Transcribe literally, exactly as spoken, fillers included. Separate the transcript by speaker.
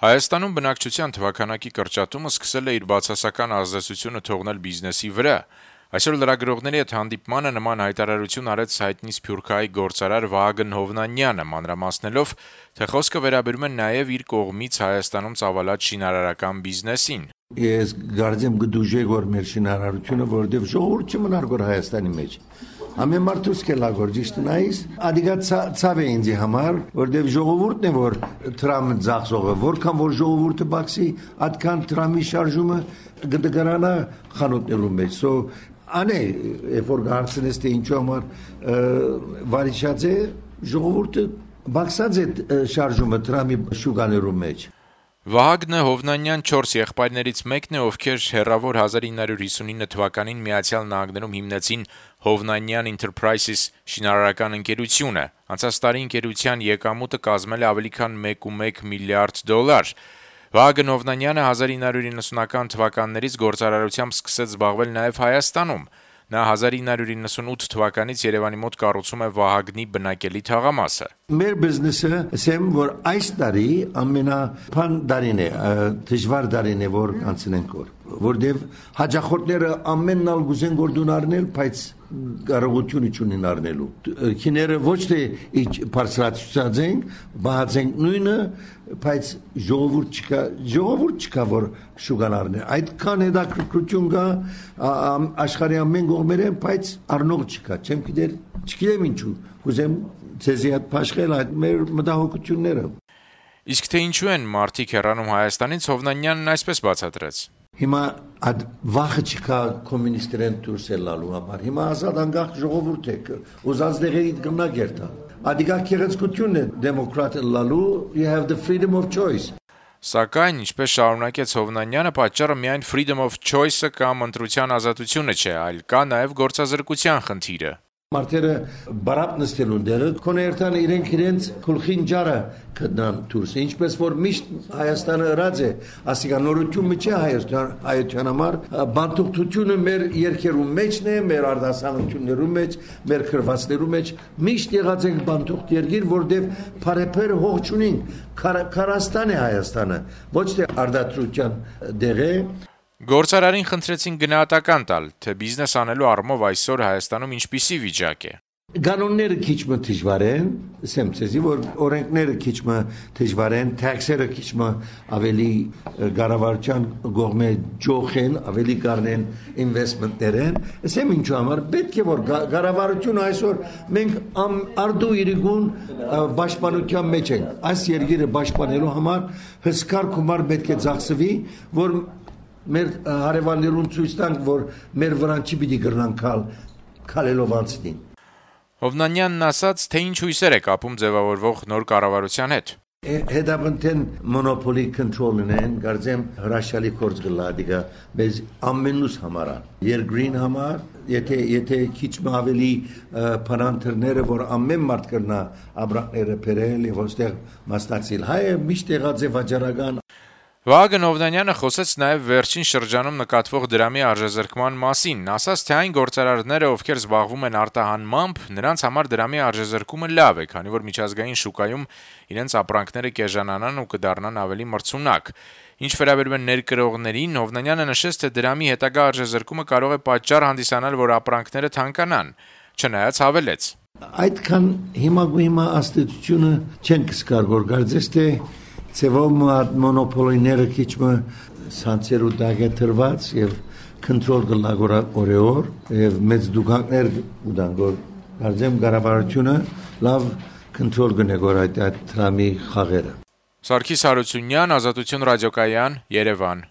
Speaker 1: Հայաստանում բնակչության թվաքանակի կրճատումը սկսել է իր բացասական ազդեցությունը թողնել բիզնեսի վրա։ Այսօր լրագրողների հետ հանդիպմանը նման հայտարարություն արեց հայտնի սփյուռքահայ գործարար Վահագն Հովնանյանը, մանրամասնելով, թե խոսքը վերաբերում է նաև իր կողմից Հայաստանում ծավալած շինարարական բիզնեսին։
Speaker 2: Ես գարձեմ գդուժե որ մեր շինարարությունը, որովհետև ժողովուրդ չմնար գոր Հայաստանի մեջ։ Ամեն մարդուս կելագոր ճիշտ նայիս, ադիգա ցավ է ինձ համար, որովհետև ժողովուրդն է որ տրամը ծախսողը, որքան որ ժողովուրդը բացի, այդքան տրամի շարժումը գդգարանա խանութներու մեջ։ So անե երբ որ հարցնես թե ինչու համար վարիշած է ժողովուրդը բացած է շարժումը տրամի շուկաներու մեջ։
Speaker 1: Վահագնը Հովնանյան չորս եղբայրներից մեկն է, ովքեր հեռավոր հազար ինը հարյուր հիսունինը թվականին Միացյալ Նահանգներում հիմնեցին Հովնանյան Enterprises շինարարական ընկերությունը։ Անցած տարի ընկերության եկամուտը կազմել է ավելի քան մեկ ու մեկ միլիարդ դոլար։ Վահագն Հովնանյանը հազար ինը հարյուր իննսունական թվականներից գործարարությամբ սկսեց զբաղվել նաև Հայաստանում։ Նա հազար ինը հարյուր իննսունութ թվականից Երևանի մոտ կառուցում է Վահագնի բնակելի թաղամասը։
Speaker 2: Մեր բիզնեսը ասեմ որ այս տարի ամենափան դարին է, դժվար դարին է որ անցնենք որ, որտեվ հաջախորդները ամենն ալ գուզեն գործուն առնել, բայց կարողությունը չունեն առնելու։ Քիները ոչ թե բարձրացած են, բացենք նույնը, բայց ժողովուրդ չկա, ժողովուրդ չկա որ շուկան առնել։ Այդքան հետաքրքրություն կա աշխարհի ամեն կողմերեն, բայց առնող չկա։ Չեմ գիտեր, չգիտեմ ինչու։ Կուզեմ ցեզի հետ փաշխել այդ մեր մտահոգությունները։
Speaker 1: Իսկ թե ինչու են մարդիկ հեռանում Հայաստանից, Հովնանյանն այսպես բացատրեց։
Speaker 2: Հիմա այդ վախը չկա կոմունիստերեն դուրս ելնալու համար։ Հիմա ազատ անկախ ժողովուրդ է, ուզած դեղերից գնա գերտա։ Ադիգա քերեցկությունն է դեմոկրատ լալու, you have the freedom of choice։
Speaker 1: Սակայն, ինչպես շարունակեց Հովնանյանը, պատճառը միայն freedom of choice-ը կամ ընտրության ազատությունը չէ, այլ կա նաև գործազրկության խնդիրը։
Speaker 2: Մարդերը բարապ նստելուն դերը կոներտան իրենք իրենց քուլխին ջարը կդնան դուրս ինչպես որ միշտ Հայաստանը ըրած է ասիկա նորությունը չէ Հայաստան հայության համար բանտուկությունը մեր երկերու մեջն է մեր արտասանություններու մեջ մեր քրվացներու մեջ միշտ եղած ենք բանտուկ երկիր որտեղ բարեփեր հող չունին Կարաստան է Հայաստանը ոչ թե արտադրության դեղը
Speaker 1: Գործարարին խնդրեցին գնահատական տալ, թե բիզնես անելու առումով այսօր Հայաստանում ինչպիսի վիճակ է։
Speaker 2: Կանոնները քիչ մը դժվար են, ասեմ ցեզի որ օրենքները քիչ մը դժվար են, տաքսերը քիչ մը ավելի կառավարության կողմէ ջոխ են, ավելի կառնեն ինվեստմենտներ են։ Ասեմ ինչու համար պետք է որ կառավարությունը այսօր մենք արդու իրիկուն պաշտպանության մեջ ենք։ Այս երկիրը պաշտպանելու համար հսկար գումար պետք է ծախսվի, որ մեր հարևաններուն ցույց տանք, որ մեր վրան չի պիտի գրնան քալ քալելով անցնին։
Speaker 1: Հովնանյանն ասաց, թե ինչ հույսեր է կապում ձևավորվող նոր կառավարության հետ։
Speaker 2: Հետապնդեն մոնոպոլի կոնտրոլն են, գարձեմ հրաշալի կորձ գլա դիգա, բայց ամենուս համար, երկրին համար, եթե եթե քիչ ավելի փանանթերները, որ ամեն մարդ կրնա աբրակները բերել եւ ոստեղ մասնակցել, հայը միշտ եղած է վաճառական
Speaker 1: Վահագն Հովնանյանը խոսեց նաև վերջին շրջանում նկատվող դրամի արժեզրկման մասին, ասաց, թե այն գործարարները, ովքեր զբաղվում են արտահանմամբ, նրանց համար դրամի արժեզրկումը լավ է, քանի որ միջազգային շուկայում իրենց ապրանքները կեժանանան ու կդառնան ավելի մրցունակ։ Ինչ վերաբերում է ներկրողներին, Հովնանյանը նշեց, թե դրամի հետագա արժեզրկումը կարող է պատճառ հանդիսանալ, որ ապրանքները թանկանան, չնայած հավելեց.
Speaker 2: Այդքան հիմա հիմա աստեցությունը չեն կսկար որ գարձես թե Ցեվով մոնոպոլիները քիչ մը սանցերու դագե տրված եւ կոնտրոլ գլագորա օրեոր եւ մեծ դուքանքներ ուդան որ դարձեմ կառավարությունը լավ կոնտրոլ գնեգոր այդ տրամի խաղերը
Speaker 1: Սարգիս Հարությունյան, Ազատություն ռադիոկայան, Երևան